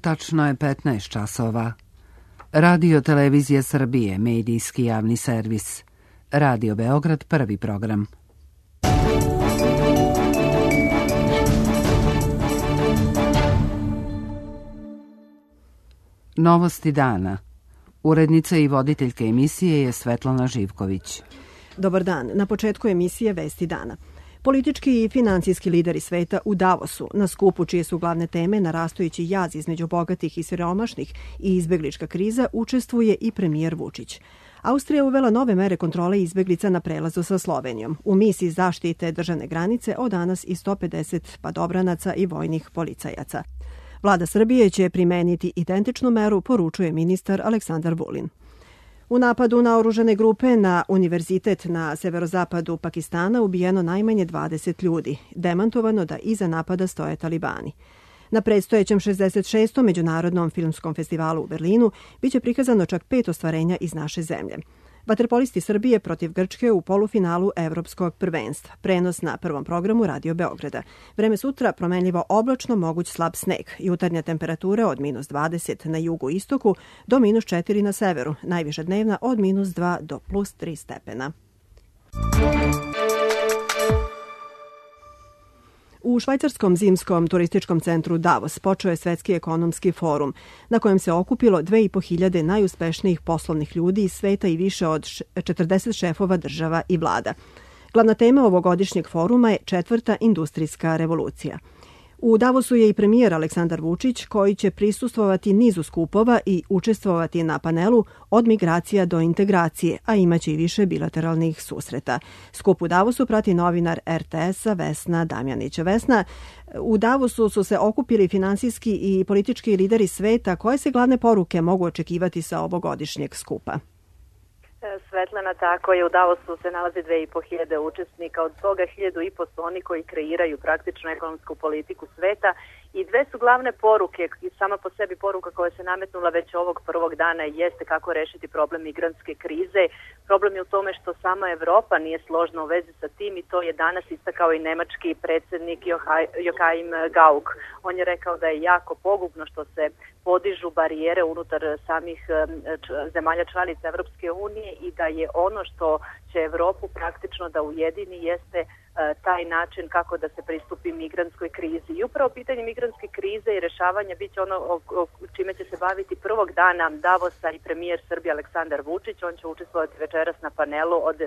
Tačno je 15 časova. Radio Televizija Srbije, medijski javni servis. Radio Beograd, prvi program. Novosti dana. Urednica i voditeljka emisije je Svetlana Živković. Dobar dan. Na početku emisije Vesti dana. Politički i financijski lideri sveta u Davosu, na skupu čije su glavne teme narastajući jaz između bogatih i siromašnih i izbeglička kriza, učestvuje i premijer Vučić. Austrija uvela nove mere kontrole izbeglica na prelazu sa Slovenijom. U misiji zaštite državne granice od danas i 150 padobranaca i vojnih policajaca. Vlada Srbije će primeniti identičnu meru, poručuje ministar Aleksandar Vulin. U napadu na oružane grupe na univerzitet na severozapadu Pakistana ubijeno najmanje 20 ljudi. Demantovano da iza napada stoje talibani. Na predstojećem 66. Međunarodnom filmskom festivalu u Berlinu biće prikazano čak 5 ostvarenja iz naše zemlje. Vaterpolisti Srbije protiv Grčke u polufinalu Evropskog prvenstva. Prenos na prvom programu Radio Beograda. Vreme sutra promenljivo oblačno, moguć slab sneg. Jutarnja temperatura od -20 na jugu istoku do -4 na severu. Najviša dnevna od -2 do +3 stepena. U švajcarskom zimskom turističkom centru Davos počeo je Svetski ekonomski forum, na kojem se okupilo 2.500 najuspešnijih poslovnih ljudi iz sveta i više od 40 šefova država i vlada. Glavna tema ovogodišnjeg foruma je 4. industrijska revolucija. U Davosu je i premijer Aleksandar Vučić, koji će prisustvovati nizu skupova i učestvovati na panelu od migracija do integracije, a imaće i više bilateralnih susreta. Skup u Davosu prati novinar RTS-a Vesna Damjanić. Vesna, u Davosu su se okupili finansijski i politički lideri sveta. Koje se glavne poruke mogu očekivati sa ovogodišnjeg skupa? Svetlana, tako je, u Davosu se nalazi 2.500 učesnika, od toga 1.500 su oni koji kreiraju praktično ekonomsku politiku sveta i dve su glavne poruke i sama po sebi poruka koja se nametnula već ovog prvog dana jeste kako rešiti problem migrantske krize. Problem je u tome što sama Evropa nije složna u vezi sa tim i to je danas istakao i nemački predsjednik Joachim Gauck. On je rekao da je jako pogubno što se podižu barijere unutar samih zemalja članica Evropske unije i da je ono što će Evropu praktično da ujedini jeste taj način kako da se pristupi migrantskoj krizi. I upravo pitanje migrantske krize i rešavanja biće ono čime će se baviti prvog dana Davosa i premijer Srbije Aleksandar Vučić. On će učestvovati večeras na panelu od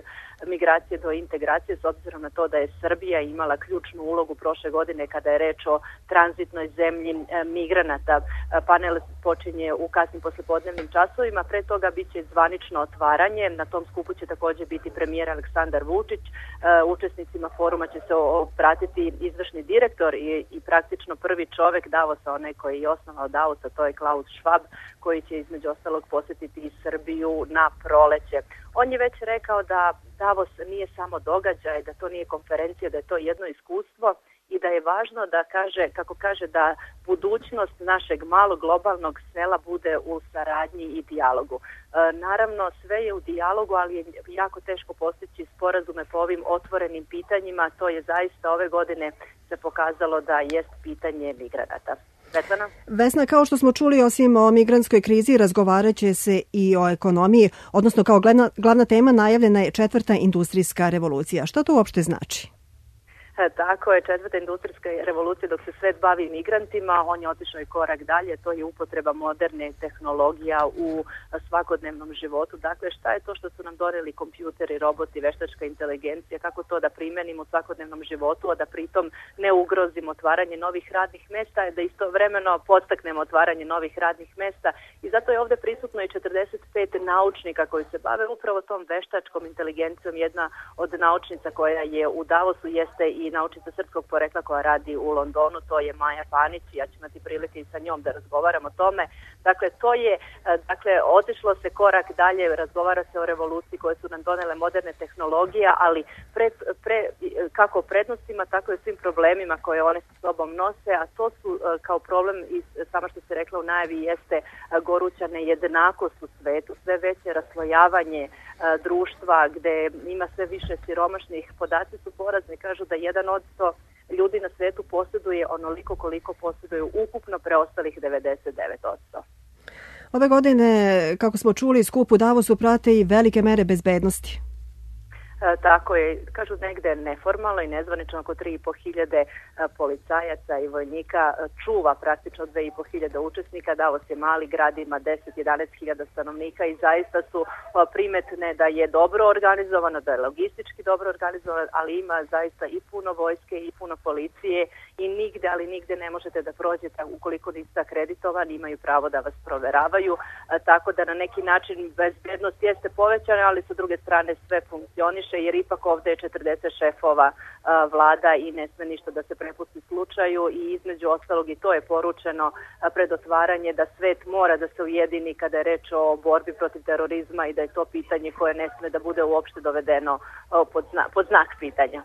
migracije do integracije s obzirom na to da je Srbija imala ključnu ulogu prošle godine kada je reč o tranzitnoj zemlji migranata. Panel počinje u kasnim poslepodnevnim časovima. Pre toga biće zvanično otvaranje. Na tom skupu će također biti premijer Aleksandar Vučić. Učesnicima foruma će se pratiti izvršni direktor i praktično prvi čovek Davosa, onaj koji je osnovao Davosa, to je Klaus Schwab, koji će između ostalog posjetiti i Srbiju na proleće. On je već rekao da Davos nije samo događaj, da to nije konferencija, da je to jedno iskustvo i da je važno da kaže da budućnost našeg malog globalnog sela bude u saradnji i dijalogu. Naravno, sve je u dijalogu, ali je jako teško postići sporazume po ovim otvorenim pitanjima. To je zaista ove godine se pokazalo da jest pitanje migranata. Vesna, kao što smo čuli, osim o migrantskoj krizi, razgovarat će se i o ekonomiji, odnosno kao glavna tema najavljena je 4. industrijska revolucija. Što to uopšte znači? Tako je, 4. industrijska revolucija, dok se svet bavi migrantima, on je otišao i korak dalje, to je upotreba moderne tehnologija u svakodnevnom životu. Dakle, šta je to što su nam doneli kompjuteri, roboti, veštačka inteligencija, kako to da primenimo u svakodnevnom životu, a da pritom ne ugrozimo otvaranje novih radnih mesta, da istovremeno podstaknemo otvaranje novih radnih mesta i zato je ovdje prisutno i 45 naučnika koji se bave upravo tom veštačkom inteligencijom. Jedna od naučnica koja je u Davosu jeste i naučnica srpskog porekla koja radi u Londonu, to je Maja Panić i ja ću imati prilike i sa njom da razgovaram o tome. Dakle, otišlo se korak dalje, razgovara se o revoluciji koje su nam donele moderne tehnologije, ali kako o prednostima, tako i svim problemima koje one sa sobom nose, a to su kao problem, i samo što se rekla u najavi, jeste goruća nejednakost u svetu, sve veće raslojavanje društva gde ima sve više siromašnih. Podaci su porazni, kažu da ljudi na svetu posjeduje onoliko koliko posjeduju ukupno preostalih 99%. Ove godine, kako smo čuli, skup u Davosu prate i velike mere bezbednosti. Tako je, kažu negde neformalno i nezvanično oko 3.500 policajaca i vojnika čuva praktično 2.500 učesnika. Davos je mali grad, ima 10-11.000 stanovnika i zaista su primetne da je dobro organizovano, da je logistički dobro organizovano, ali ima zaista i puno vojske i puno policije i nigde ne možete da prođete ukoliko niste akreditovani, imaju pravo da vas proveravaju, tako da na neki način bezbednost jeste povećana, ali sa druge strane sve funkcioniše, jer ipak ovde je 40 šefova vlada i ne sme ništa da se prepusti slučaju i između ostalog i to je poručeno pred otvaranje da svet mora da se ujedini kada je reč o borbi protiv terorizma i da je to pitanje koje ne sme da bude uopšte dovedeno pod znak pitanja.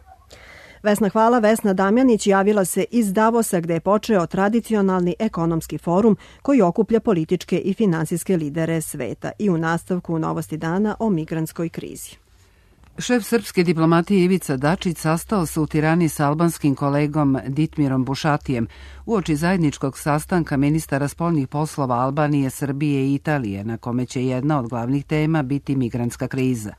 Vesna, hvala. Vesna Damjanić javila se iz Davosa gde je počeo tradicionalni ekonomski forum koji okuplja političke i finansijske lidere sveta i u nastavku novosti dana o migrantskoj krizi. Šef srpske diplomatije Ivica Dačić sastao se u Tirani sa albanskim kolegom Ditmirom Bušatijem uoči zajedničkog sastanka ministara spoljnih poslova Albanije, Srbije i Italije, na kome će jedna od glavnih tema biti migrantska kriza.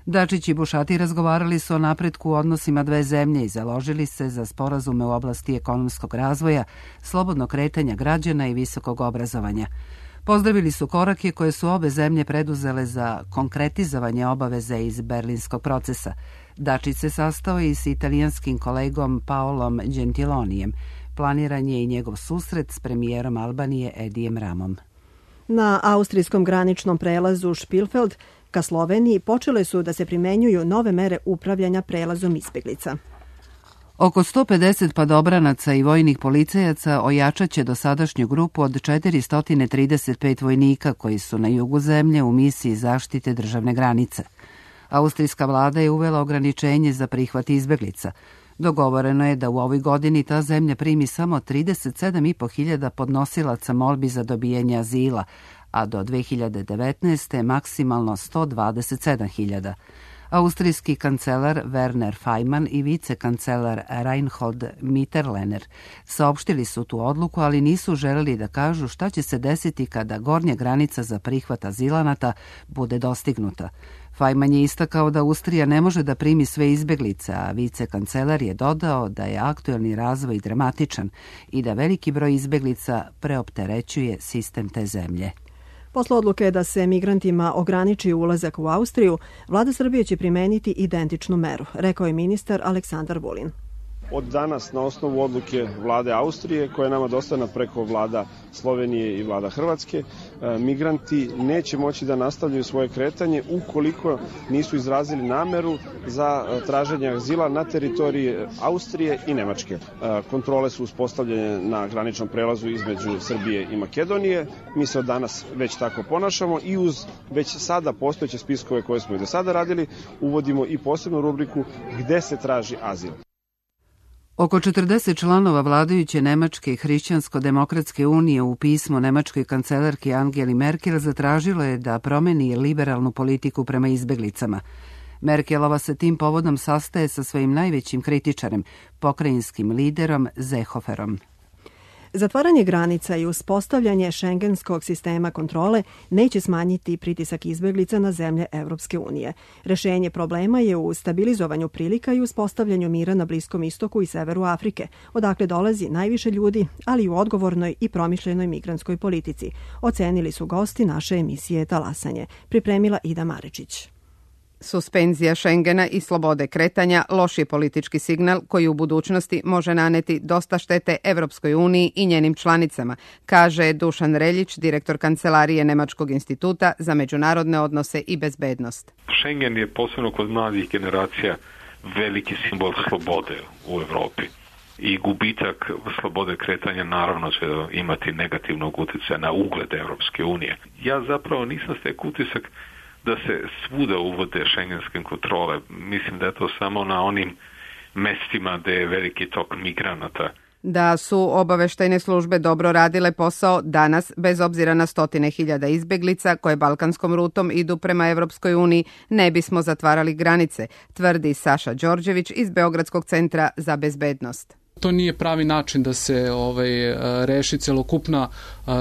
Dačić i Bušati razgovarali su o napretku u odnosima dve zemlje i založili se za sporazume u oblasti ekonomskog razvoja, slobodnog kretanja građana i visokog obrazovanja. Pozdravili su korake koje su obe zemlje preduzele za konkretizovanje obaveze iz berlinskog procesa. Dačić se sastao i s italijanskim kolegom Paolom Gentilonijem. Planiran je i njegov susret s premijerom Albanije Edijem Ramom. Na austrijskom graničnom prelazu Špilfeld ka Sloveniji počele su da se primenjuju nove mere upravljanja prelazom izbeglica. Oko 150 padobranaca i vojnih policajaca ojačat će dosadašnju grupu od 435 vojnika koji su na jugu zemlje u misiji zaštite državne granice. Austrijska vlada je uvela ograničenje za prihvat izbeglica. Dogovoreno je da u ovoj godini ta zemlja primi samo 37.500 podnosilaca molbi za dobijanje azila, a do 2019. maksimalno 127.000. Austrijski kancelar Werner Faymann i vicekancelar Reinhold Mitterlehner saopštili su tu odluku, ali nisu želeli da kažu šta će se desiti kada gornja granica za prihvat azilanata bude dostignuta. Faymann je istakao da Austrija ne može da primi sve izbeglice, a vicekancelar je dodao da je aktuelni razvoj dramatičan i da veliki broj izbeglica preopterećuje sistem te zemlje. Posle odluke da se migrantima ograniči ulazak u Austriju, vlada Srbije će primeniti identičnu meru, rekao je ministar Aleksandar Vulin. Od danas, na osnovu odluke vlade Austrije, koja je nama dostavljena preko vlada Slovenije i vlada Hrvatske, migranti neće moći da nastavljaju svoje kretanje ukoliko nisu izrazili nameru za traženje azila na teritoriji Austrije i Nemačke. Kontrole su uspostavljene na graničnom prelazu između Srbije i Makedonije. Mi se od danas već tako ponašamo i uz već sada postojeće spiskove koje smo i do sada radili, uvodimo i posebnu rubriku gde se traži azil. Oko 40 članova vladajuće Nemačke hrišćansko-demokratske unije u pismu nemačkoj kancelarki Angeli Merkel zatražilo je da promeni liberalnu politiku prema izbeglicama. Merkelova se tim povodom sastaje sa svojim najvećim kritičarem, pokrajinskim liderom Seehoferom. Zatvaranje granica i uspostavljanje šengenskog sistema kontrole neće smanjiti pritisak izbeglica na zemlje Evropske unije. Rešenje problema je u stabilizovanju prilika i uspostavljanju mira na Bliskom istoku i severu Afrike, odakle dolazi najviše ljudi, ali i u odgovornoj i promišljenoj migrantskoj politici, ocenili su gosti naše emisije Talasanje. Pripremila Ida Marečić. Suspenzija Šengena i slobode kretanja loš je politički signal koji u budućnosti može naneti dosta štete Evropskoj uniji i njenim članicama, kaže Dušan Reljić, direktor Kancelarije Nemačkog instituta za međunarodne odnose i bezbednost. Schengen je posebno kod mladih generacija veliki simbol slobode u Evropi. I gubitak slobode kretanja naravno će imati negativnog utjecaja na ugled Evropske unije. Ja zapravo nisam stekao utisak da se svuda uvode šengenske kontrole. Mislim da je to samo na onim mestima gde je veliki tok migranata. Da su obaveštajne službe dobro radile posao danas, bez obzira na 100.000 izbeglica koje balkanskom rutom idu prema Evropskoj uniji, ne bismo zatvarali granice, tvrdi Saša Đorđević iz Beogradskog centra za bezbednost. To nije pravi način da se reši celokupna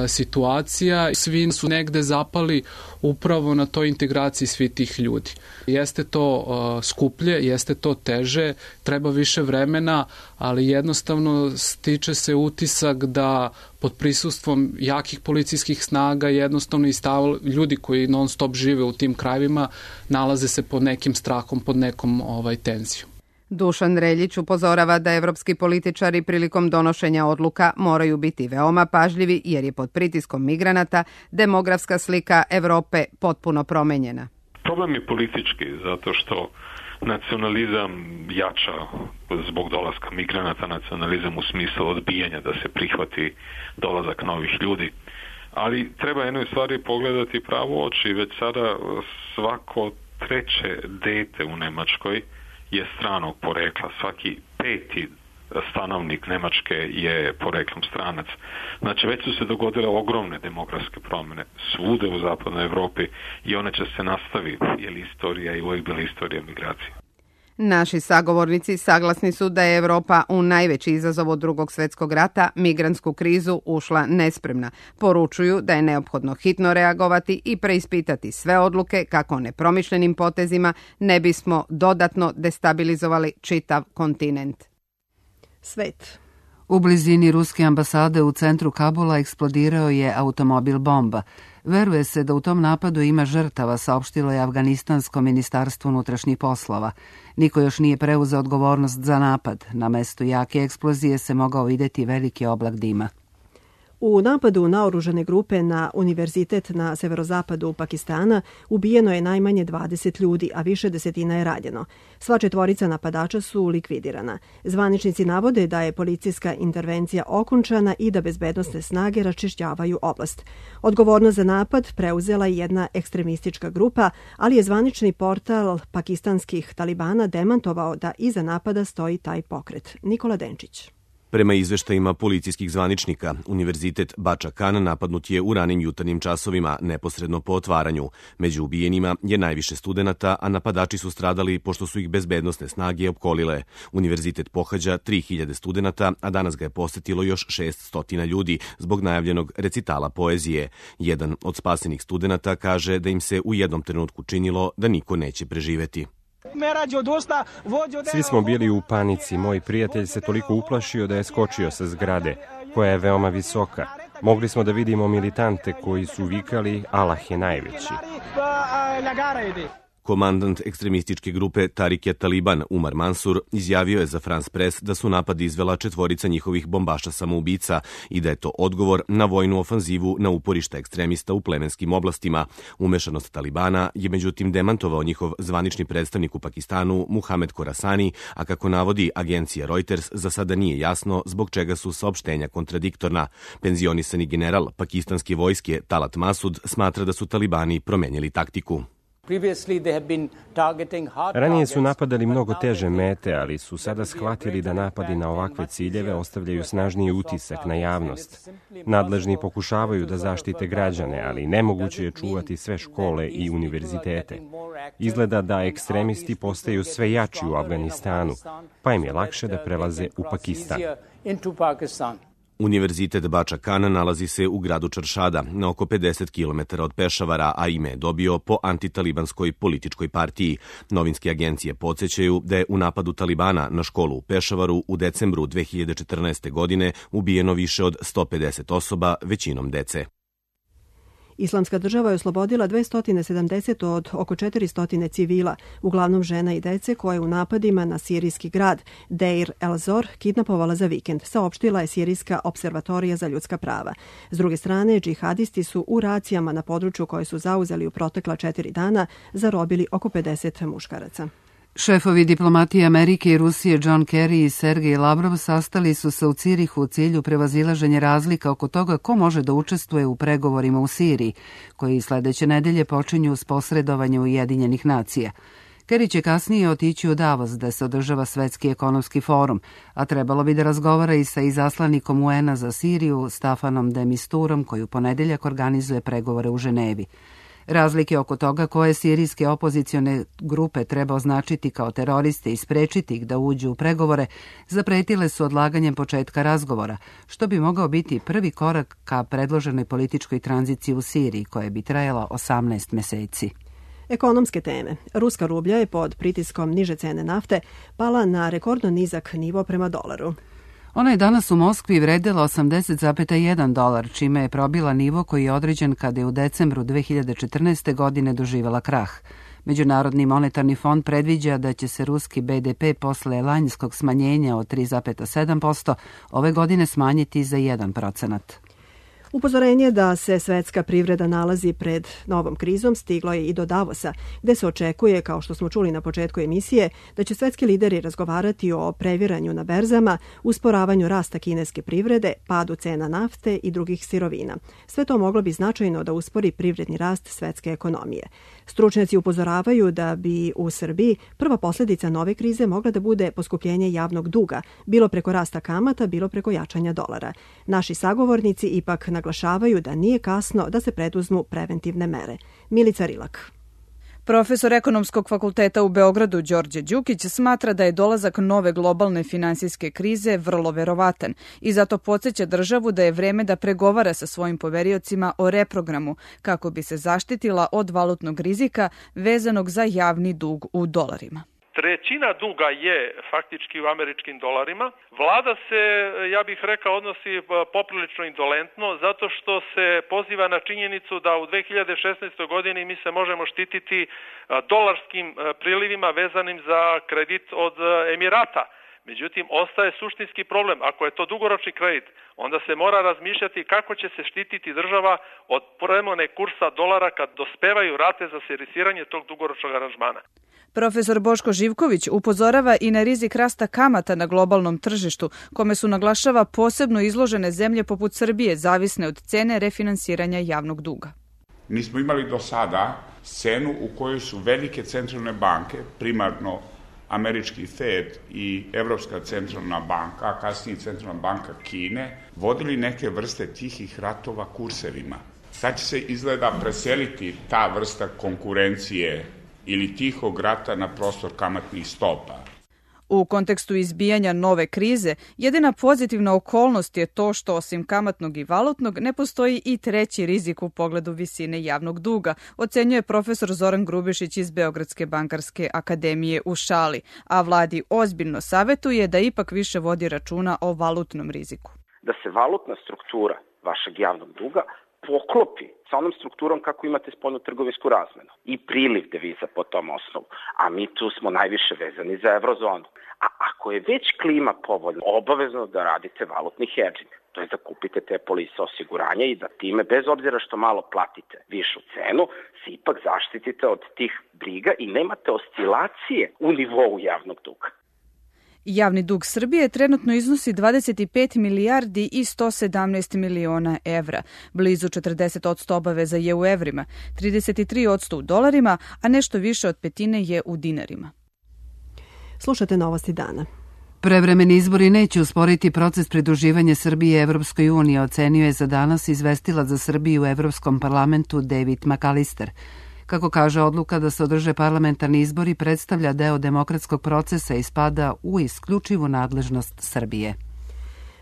situacija. Svi su negde zapali upravo na toj integraciji svih tih ljudi. Jeste to skuplje, jeste to teže, treba više vremena, ali jednostavno stiče se utisak da pod prisustvom jakih policijskih snaga jednostavno i ljudi koji non stop žive u tim krajevima nalaze se pod nekim strahom, pod nekom tenzijom. Dušan Reljić upozorava da evropski političari prilikom donošenja odluka moraju biti veoma pažljivi jer je pod pritiskom migranata demografska slika Evrope potpuno promenjena. Problem je politički zato što nacionalizam jača zbog dolaska migranata, nacionalizam u smislu odbijanja da se prihvati dolazak novih ljudi. Ali treba jednoj stvari pogledati pravo oči. Već sada svako treće dete u Nemačkoj je stranog porekla. Svaki peti stanovnik Nemačke je poreklom stranac. Znači već su se dogodile ogromne demografske promjene svude u zapadnoj Evropi i one će se nastaviti jer istorija i uvijek bila istorija migracije. Naši sagovornici saglasni su da je Evropa u najveći izazov od Drugog svjetskog rata, migrantsku krizu, ušla nespremna. Poručuju da je neophodno hitno reagovati i preispitati sve odluke kako nepromišljenim potezima ne bismo dodatno destabilizovali čitav kontinent. Svet. U blizini ruske ambasade u centru Kabula eksplodirao je automobil bomba. Veruje se da u tom napadu ima žrtava, saopštilo je Afganistansko ministarstvo unutrašnjih poslova. Niko još nije preuzeo odgovornost za napad. Na mestu jake eksplozije se mogao vidjeti veliki oblak dima. U napadu naoružane grupe na univerzitet na severozapadu Pakistana ubijeno je najmanje 20 ljudi, a više desetina je ranjeno. Sva četvorica napadača su likvidirana. Zvaničnici navode da je policijska intervencija okončana i da bezbednosne snage raščišćavaju oblast. Odgovornost za napad preuzela je jedna ekstremistička grupa, ali je zvanični portal pakistanskih talibana demantovao da iza napada stoji taj pokret. Nikola Denčić. Prema izveštajima policijskih zvaničnika, Univerzitet Bača Kan napadnut je u ranim jutarnjim časovima, neposredno po otvaranju. Među ubijenima je najviše studenata, a napadači su stradali pošto su ih bezbednosne snage opkolile. Univerzitet pohađa 3000 studenata, a danas ga je posetilo još 600 ljudi zbog najavljenog recitala poezije. Jedan od spasenih studenata kaže da im se u jednom trenutku činilo da niko neće preživeti. Svi smo bili u panici. Moj prijatelj se toliko uplašio da je skočio sa zgrade, koja je veoma visoka. Mogli smo da vidimo militante koji su vikali Allah je najveći. Komandant ekstremističke grupe Tarik Taliban Umar Mansur izjavio je za France Press da su napad izvela četvorica njihovih bombaša samoubica i da je to odgovor na vojnu ofanzivu na uporišta ekstremista u plemenskim oblastima. Umešanost Talibana je međutim demantovao njihov zvanični predstavnik u Pakistanu Muhamed Khorasani, a kako navodi agencija Reuters, za sada nije jasno zbog čega su saopštenja kontradiktorna. Penzionisani general pakistanske vojske Talat Masud smatra da su Talibani promenjili taktiku. Ranije su napadali mnogo teže mete, ali su sada shvatili da napadi na ovakve ciljeve ostavljaju snažniji utisak na javnost. Nadležni pokušavaju da zaštite građane, ali nemoguće je čuvati sve škole i univerzitete. Izgleda da ekstremisti postaju sve jači u Afganistanu, pa im je lakše da prelaze u Pakistan. Univerzitet Bača Kan nalazi se u gradu Čaršada, na oko 50 km od Pešavara, a ime je dobio po antitalibanskoj političkoj partiji. Novinske agencije podsjećaju da je u napadu Talibana na školu u Pešavaru u decembru 2014. godine ubijeno više od 150 osoba, većinom dece. Islamska država je oslobodila 270 od oko 400 civila, uglavnom žena i dece koje u napadima na sirijski grad Deir el-Zor kidnapovala za vikend, saopštila je Sirijska observatorija za ljudska prava. S druge strane, džihadisti su u racijama na području koje su zauzeli u protekla 4 dana zarobili oko 50 muškaraca. Šefovi diplomatije Amerike i Rusije John Kerry i Sergej Lavrov sastali su se u Cirihu u cilju prevazilaženja razlika oko toga ko može da učestvuje u pregovorima u Siriji, koji sledeće nedelje počinju s posredovanjem Ujedinjenih nacija. Kerry će kasnije otići u Davos da se održava Svetski ekonomski forum, a trebalo bi da razgovara i sa izaslanikom UN-a za Siriju Stafanom de Misturom, koji u ponedeljak organizuje pregovore u Ženevi. Razlike oko toga koje sirijske opozicione grupe treba označiti kao teroriste i sprečiti ih da uđu u pregovore zapretile su odlaganjem početka razgovora, što bi mogao biti prvi korak ka predloženoj političkoj tranziciji u Siriji, koja bi trajala 18 meseci. Ekonomske teme. Ruska rublja je pod pritiskom niže cene nafte pala na rekordno nizak nivo prema dolaru. Ona je danas u Moskvi vredela 80,1 dolar, čime je probila nivo koji je određen kada je u decembru 2014. godine doživela krah. Međunarodni monetarni fond predviđa da će se ruski BDP posle lanjskog smanjenja od 3,7% ove godine smanjiti za 1%. Upozorenje da se svetska privreda nalazi pred novom krizom stiglo je i do Davosa, gde se očekuje, kao što smo čuli na početku emisije, da će svetski lideri razgovarati o previranju na berzama, usporavanju rasta kineske privrede, padu cena nafte i drugih sirovina. Sve to moglo bi značajno da uspori privredni rast svetske ekonomije. Stručnjaci upozoravaju da bi u Srbiji prva posljedica nove krize mogla da bude poskupljenje javnog duga, bilo preko rasta kamata, bilo preko jačanja dolara. Naši sagovornici ipak naglašavaju da nije kasno da se preduzmu preventivne mere. Milica Rilak. Profesor Ekonomskog fakulteta u Beogradu Đorđe Đukić smatra da je dolazak nove globalne finansijske krize vrlo verovatan i zato podsjeća državu da je vreme da pregovara sa svojim poveriocima o reprogramu kako bi se zaštitila od valutnog rizika vezanog za javni dug u dolarima. Trećina duga je faktički u američkim dolarima. Vlada se, ja bih rekao, odnosi poprilično indolentno zato što se poziva na činjenicu da u 2016. godini mi se možemo štititi dolarskim prilivima vezanim za kredit od Emirata. Međutim, ostaje suštinski problem. Ako je to dugoročni kredit, onda se mora razmišljati kako će se štititi država od promjene kursa dolara kad dospevaju rate za servisiranje tog dugoročnog aranžmana. Profesor Boško Živković upozorava i na rizik rasta kamata na globalnom tržištu, kome su naglašava posebno izložene zemlje poput Srbije, zavisne od cene refinansiranja javnog duga. Mi smo imali do sada scenu u kojoj su velike centralne banke, primarno američki Fed i Evropska centralna banka, a kasnije Centralna banka Kine, vodili neke vrste tihih ratova kursevima. Sad će se izgleda preseliti ta vrsta konkurencije ili tihog rata na prostor kamatnih stopa. U kontekstu izbijanja nove krize, jedina pozitivna okolnost je to što osim kamatnog i valutnog ne postoji i treći rizik u pogledu visine javnog duga, ocenjuje profesor Zoran Grubišić iz Beogradske bankarske akademije u šali, a vladi ozbiljno savetuje da ipak više vodi računa o valutnom riziku. Da se valutna struktura vašeg javnog duga poklopi sa onom strukturom kako imate spoljnotrgovinsku razmenu i priliv deviza po tom osnovu, a mi tu smo najviše vezani za eurozonu. A ako je već klima povoljna, obavezno da radite valutni hedžing, to je da kupite te polise osiguranja i da time, bez obzira što malo platite višu cenu, se ipak zaštitite od tih briga i nemate oscilacije u nivou javnog duga. Javni dug Srbije trenutno iznosi 25 milijardi i 117 miliona evra. Blizu 40% obaveza je u evrima, 33% u dolarima, a nešto više od petine je u dinarima. Slušate Novosti dana. Prevremeni izbori neće usporiti proces pridruživanja Srbije Evropskoj uniji, ocenio je za danas izvestilac za Srbiju u Evropskom parlamentu David McAllister. Kako kaže, odluka da se održe parlamentarni izbori predstavlja deo demokratskog procesa i spada u isključivu nadležnost Srbije.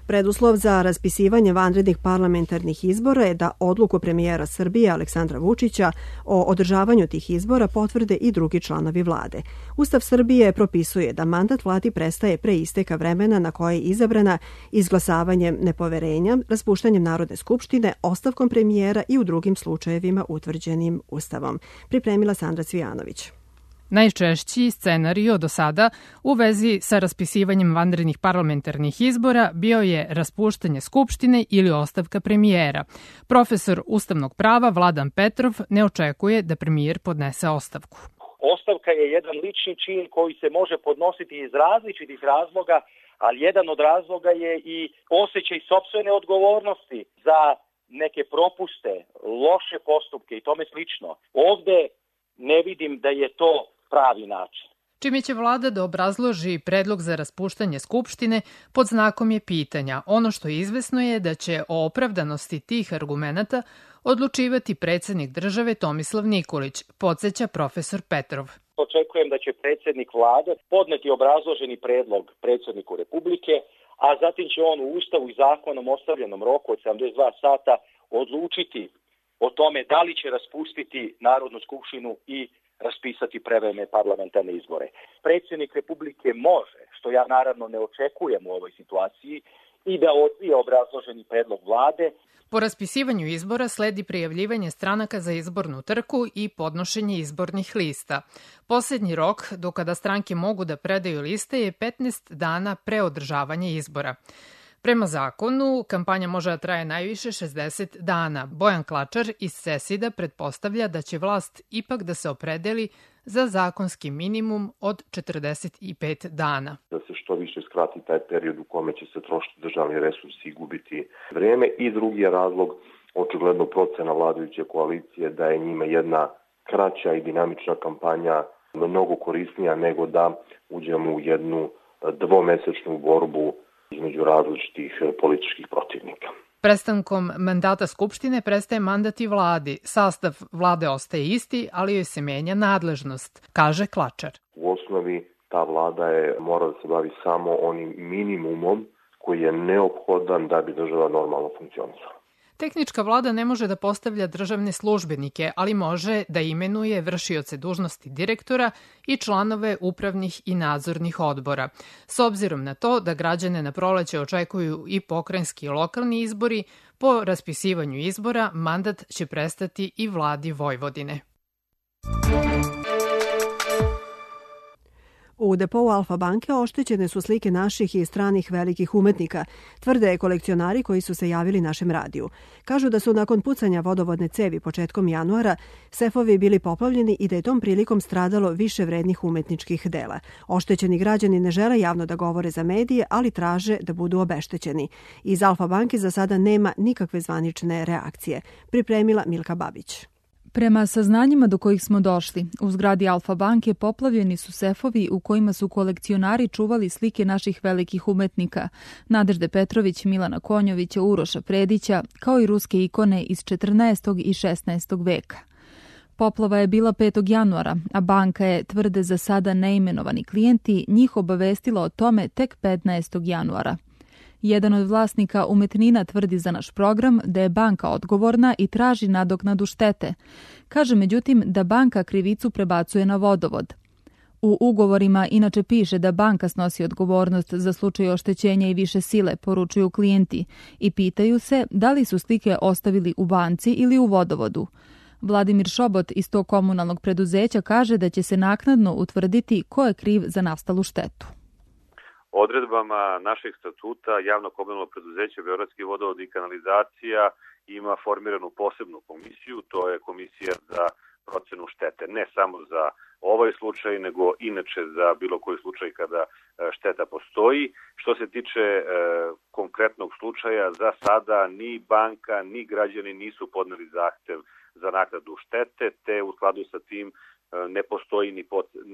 Preduslov za raspisivanje vanrednih parlamentarnih izbora je da odluku premijera Srbije Aleksandra Vučića o održavanju tih izbora potvrde i drugi članovi vlade. Ustav Srbije propisuje da mandat vladi prestaje pre isteka vremena na koje je izabrana izglasavanjem nepoverenja, raspuštanjem Narodne skupštine, ostavkom premijera i u drugim slučajevima utvrđenim Ustavom. Pripremila Sandra Cvijanović. Najčešći scenario do sada u vezi sa raspisivanjem vanrednih parlamentarnih izbora bio je raspuštanje Skupštine ili ostavka premijera. Profesor ustavnog prava Vladan Petrov ne očekuje da premijer podnese ostavku. Ostavka je jedan lični čin koji se može podnositi iz različitih razloga, ali jedan od razloga je i osjećaj sopstvene odgovornosti za neke propuste, loše postupke i tome slično. Ovde ne vidim da je to pravi način. Čime će vlada da obrazloži predlog za raspuštanje Skupštine, pod znakom je pitanja. Ono što je izvesno je da će o opravdanosti tih argumenata odlučivati predsjednik države Tomislav Nikolić, podsjeća profesor Petrov. Očekujem da će predsjednik vlade podneti obrazloženi predlog predsjedniku Republike, a zatim će on u Ustavu i zakonom ostavljenom roku od 72 sata odlučiti o tome da li će raspustiti Narodnu skupštinu i raspisati prevremene parlamentarne izbore. Predsjednik Republike može, što ja naravno ne očekujem u ovoj situaciji, i da odbije obrazloženi predlog vlade. Po raspisivanju izbora sledi prijavljivanje stranaka za izbornu trku i podnošenje izbornih lista. Posljednji rok do kada stranke mogu da predaju liste je 15 dana pre održavanja izbora. Prema zakonu, kampanja može da traje najviše 60 dana. Bojan Klačar iz Sesida pretpostavlja da će vlast ipak da se opredeli za zakonski minimum od 45 dana. Da se što više skrati taj period u kome će se trošiti državni resursi i gubiti vreme. I drugi je razlog, očigledno procena vladajuće koalicije, da je njima jedna kraća i dinamična kampanja mnogo korisnija nego da uđemo u jednu dvomesečnu borbu između različitih političkih protivnika. Prestankom mandata Skupštine prestaje mandat i vladi. Sastav vlade ostaje isti, ali joj se menja nadležnost, kaže Klačar. U osnovi ta vlada mora da se bavi samo onim minimumom koji je neophodan da bi država normalno funkcionisala. Tehnička vlada ne može da postavlja državne službenike, ali može da imenuje vršioce dužnosti direktora i članove upravnih i nadzornih odbora. S obzirom na to da građane na proleće očekuju i pokrajinski i lokalni izbori, po raspisivanju izbora mandat će prestati i vladi Vojvodine. U depou Alfa banke oštećene su slike naših i stranih velikih umetnika, tvrde kolekcionari koji su se javili našem radiju. Kažu da su nakon pucanja vodovodne cevi početkom januara sefovi bili poplavljeni i da je tom prilikom stradalo više vrednih umetničkih dela. Oštećeni građani ne žele javno da govore za medije, ali traže da budu obeštećeni. Iz Alfa banke za sada nema nikakve zvanične reakcije, pripremila Milka Babić. Prema saznanjima do kojih smo došli, u zgradi Alfa banke poplavljeni su sefovi u kojima su kolekcionari čuvali slike naših velikih umetnika, Nadežde Petrović, Milana Konjovića, Uroša Predića, kao i ruske ikone iz 14. i 16. veka. Poplava je bila 5. januara, a banka je, tvrde za sada neimenovani klijenti, njih obavestila o tome tek 15. januara. Jedan od vlasnika umetnina tvrdi za naš program da je banka odgovorna i traži nadoknadu štete. Kaže međutim da banka krivicu prebacuje na vodovod. U ugovorima inače piše da banka snosi odgovornost za slučaj oštećenja i više sile, poručuju klijenti, i pitaju se da li su slike ostavili u banci ili u vodovodu. Vladimir Šobot iz tog komunalnog preduzeća kaže da će se naknadno utvrditi ko je kriv za nastalu štetu. Odredbama našeg statuta javno komunalno preduzeće Beogradski vodovod i kanalizacija ima formiranu posebnu komisiju, to je komisija za procenu štete, ne samo za ovaj slučaj, nego inače za bilo koji slučaj kada šteta postoji. Što se tiče konkretnog slučaja, za sada ni banka, ni građani nisu podneli zahtev za naknadu štete, te u skladu sa tim ne postoji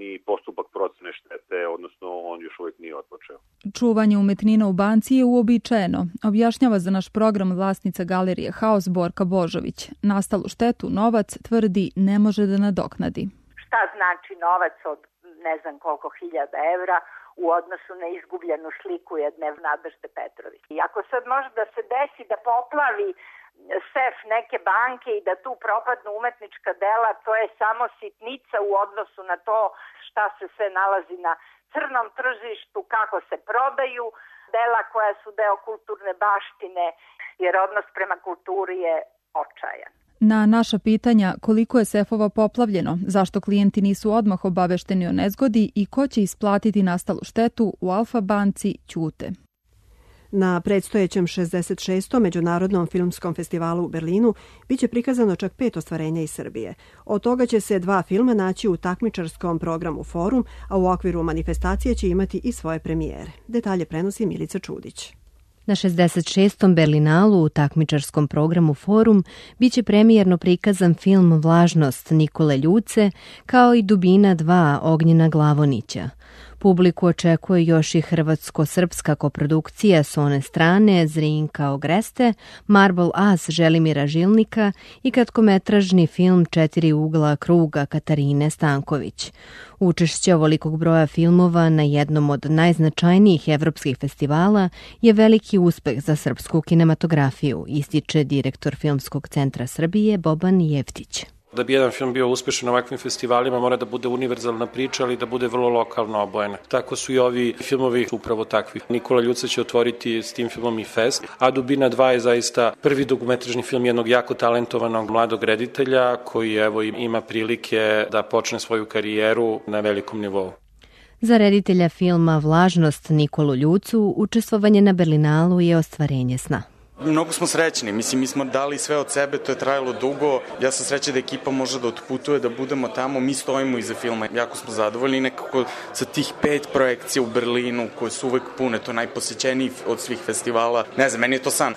ni postupak procene štete, odnosno on još uvijek nije otpočeo. Čuvanje umetnina u banci je uobičajeno, objašnjava za naš program vlasnica galerije Haos Borka Božović. Nastalu štetu novac, tvrdi, ne može da nadoknadi. Šta znači novac od ne znam koliko hiljada evra u odnosu na izgubljenu sliku jedne Nadežde Petrović? I ako sad može da se desi da poplavi sef neke banke i da tu propadnu umetnička dela, to je samo sitnica u odnosu na to šta se sve nalazi na crnom tržištu, kako se prodaju dela koja su deo kulturne baštine, jer odnos prema kulturi je očajan. Na naša pitanja koliko je sefova poplavljeno, zašto klijenti nisu odmah obavešteni o nezgodi i ko će isplatiti nastalu štetu, u Alfa banci ćute. Na predstojećem 66. Međunarodnom filmskom festivalu u Berlinu biće prikazano čak 5 ostvarenja iz Srbije. Od toga će se 2 filma naći u takmičarskom programu Forum, a u okviru manifestacije će imati i svoje premijere. Detalje prenosi Milica Čudić. Na 66. Berlinalu u takmičarskom programu Forum biće premijerno prikazan film Vlažnost Nikole Ljuce kao i Dubina 2 Ognjena Glavonića. Publiku očekuje još i hrvatsko-srpska koprodukcija s one strane Zrinka Ogreste, Marble As Želimira Žilnika i kratkometražni film Četiri ugla kruga Katarine Stanković. Učešće ovolikog broja filmova na jednom od najznačajnijih evropskih festivala je veliki uspeh za srpsku kinematografiju, ističe direktor Filmskog centra Srbije Boban Jeftić. Da bi jedan film bio uspešan na ovakvim festivalima mora da bude univerzalna priča, ali da bude vrlo lokalno obojena. Tako su i ovi filmovi upravo takvi. Nikola Ljuca će otvoriti s tim filmom i fest, a Dubina 2 je zaista prvi dokumentarni film jednog jako talentovanog mladog reditelja koji evo ima prilike da počne svoju karijeru na velikom nivou. Za reditelja filma Vlažnost Nikolu Ljucu učestvovanje na Berlinalu je ostvarenje sna. Mnogo smo srećni, mislim mi smo dali sve od sebe, to je trajalo dugo, ja sam srećan da ekipa može da otputuje, da budemo tamo, mi stojimo iza filma, jako smo zadovoljni nekako sa tih 5 projekcija u Berlinu koje su uvek pune, to je najposećeniji od svih festivala, ne znam, meni je to san.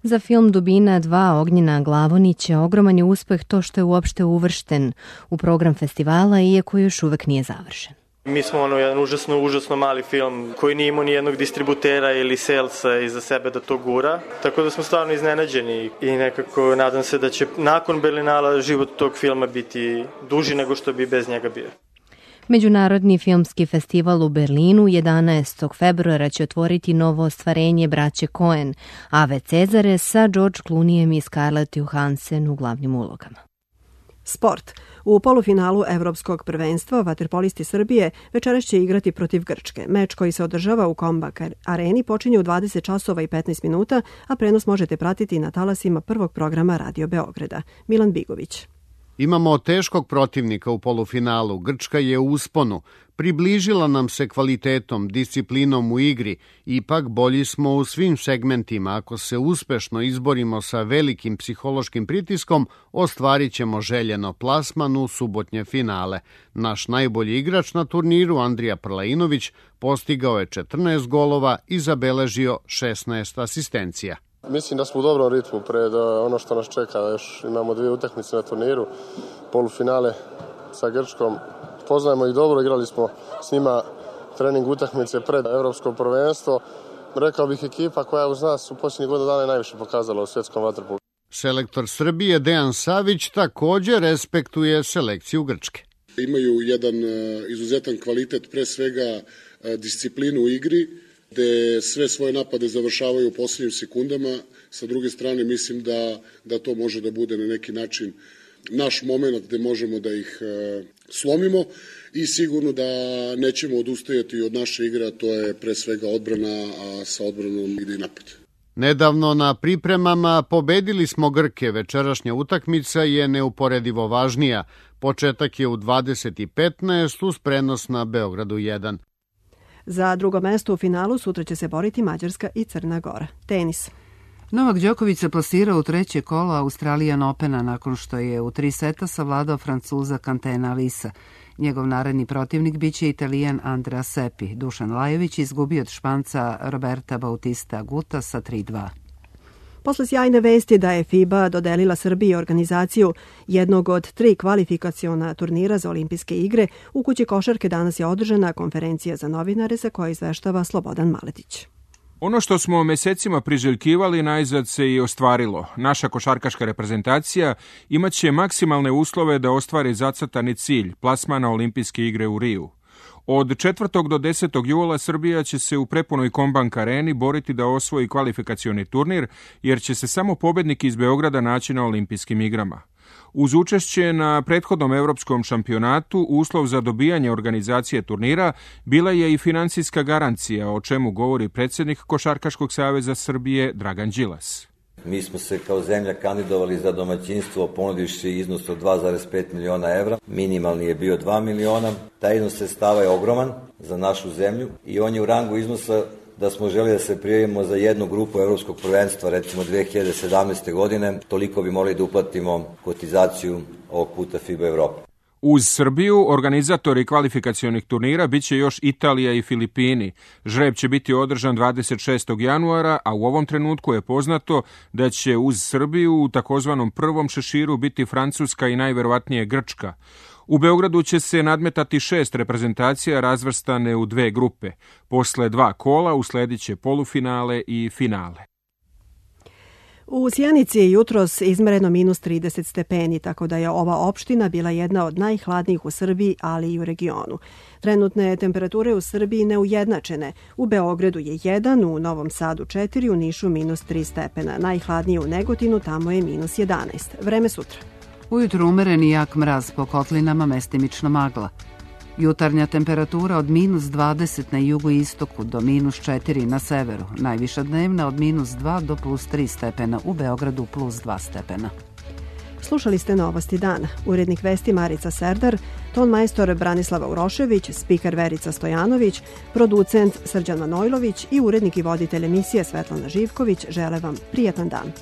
Za film Dubina 2 Ognjena Glavonića ogroman je uspeh to što je uopšte uvršten u program festivala, iako još uvek nije završen. Mi smo jedan užasno mali film koji nije imao ni jednog distributera ili salesa iza sebe da to gura, tako da smo stvarno iznenađeni i nekako nadam se da će nakon Berlinala život tog filma biti duži nego što bi bez njega bio. Međunarodni filmski festival u Berlinu 11. februara će otvoriti novo ostvarenje braće Coen, Ave Cezare sa George Clooneyem i Scarlett Johansson u glavnim ulogama. Sport. U polufinalu Evropskog prvenstva vaterpolisti Srbije večeras će igrati protiv Grčke. Meč koji se održava u Kombak areni počinje u 20 časova i 15 minuta, a prenos možete pratiti na talasima prvog programa Radio Beograda. Milan Bigović. Imamo teškog protivnika u polufinalu. Grčka je u usponu. Približila nam se kvalitetom, disciplinom u igri. Ipak bolji smo u svim segmentima. Ako se uspešno izborimo sa velikim psihološkim pritiskom, ostvarit ćemo željeno plasman u subotnje finale. Naš najbolji igrač na turniru, Andrija Prlainović, postigao je 14 golova i zabeležio 16 asistencija. Mislim da smo u dobrom ritmu pred ono što nas čeka. Još imamo 2 utakmice na turniru, polufinale sa Grčkom. Poznajemo ih dobro, igrali smo s njima trening utakmice pred Evropsko prvenstvo. Rekao bih ekipa koja uz nas u posljednjih godina dana je najviše pokazala u svjetskom vaterpolu. Selektor Srbije Dejan Savić također respektuje selekciju Grčke. Imaju jedan izuzetan kvalitet, pre svega disciplinu u igri, gde sve svoje napade završavaju u posljednjim sekundama. Sa druge strane, mislim da to može da bude na neki način naš moment gde možemo da ih slomimo i sigurno da nećemo odustajati od naše igre, a to je pre svega odbrana, a sa odbranom ide i napad. Nedavno na pripremama pobedili smo Grke. Večerašnja utakmica je neuporedivo važnija. Početak je u 20:15 uz prenos na Beogradu 1. Za drugo mesto u finalu sutra će se boriti Mađarska i Crna Gora. Tenis. Novak Đoković se plasirao u treće kolo Australian Opena nakon što je u 3 seta savladao Francuza Cantena Lisa. Njegov naredni protivnik biće Italijan Andrea Seppi. Dušan Lajović izgubio od Španca Roberta Bautista Aguta sa 3-2. Posle sjajne vesti da je FIBA dodelila Srbiji organizaciju jednog od 3 kvalifikaciona turnira za olimpijske igre, u kući košarke danas je održana konferencija za novinare za koju izveštava Slobodan Maletić. Ono što smo mesecima priželjkivali najzad se i ostvarilo. Naša košarkaška reprezentacija imaće maksimalne uslove da ostvari zacrtani cilj, plasman na olimpijske igre u Riju. Od 4. do 10. jula Srbija će se u prepunoj Kombank areni boriti da osvoji kvalifikacioni turnir, jer će se samo pobednik iz Beograda naći na olimpijskim igrama. Uz učešće na prethodnom evropskom šampionatu, uslov za dobijanje organizacije turnira bila je i finansijska garancija, o čemu govori predsjednik Košarkaškog saveza Srbije Dragan Đilas. Mi smo se kao zemlja kandidovali za domaćinstvo ponudivši iznos od 2,5 miliona evra. Minimalni je bio 2 miliona. Taj iznos sredstava je ogroman za našu zemlju i on je u rangu iznosa da smo želi da se prijavimo za jednu grupu evropskog prvenstva, recimo 2017. godine. Toliko bi morali da uplatimo kotizaciju ovog puta FIBA Evrope. Uz Srbiju, organizatori kvalifikacionih turnira biće još Italija i Filipini. Žreb će biti održan 26. januara, a u ovom trenutku je poznato da će uz Srbiju u takozvanom prvom šeširu biti Francuska i najverovatnije Grčka. U Beogradu će se nadmetati 6 reprezentacija razvrstane u 2 grupe. Posle 2 kola uslediće polufinale i finale. U Sjenici je jutros izmereno minus 30 stepeni, tako da je ova opština bila jedna od najhladnijih u Srbiji, ali i u regionu. Trenutne temperature u Srbiji neujednačene. U Beogradu je 1, u Novom Sadu 4, u Nišu minus 3 stepena. Najhladnije u Negotinu, tamo je minus 11. Vreme sutra. Ujutru umeren i jak mraz, po kotlinama mestimična magla. Jutarnja temperatura od minus 20 na jugoistoku do minus 4 na severu. Najviša dnevna od minus 2 do plus 3 stepena, u Beogradu plus 2 stepena. Slušali ste Novosti dana. Urednik vesti Marica Serdar, ton majstor Branislava Urošević, spiker Verica Stojanović, producent Srđan Manojlović i urednik i voditelj emisije Svetlana Živković žele vam prijatan dan.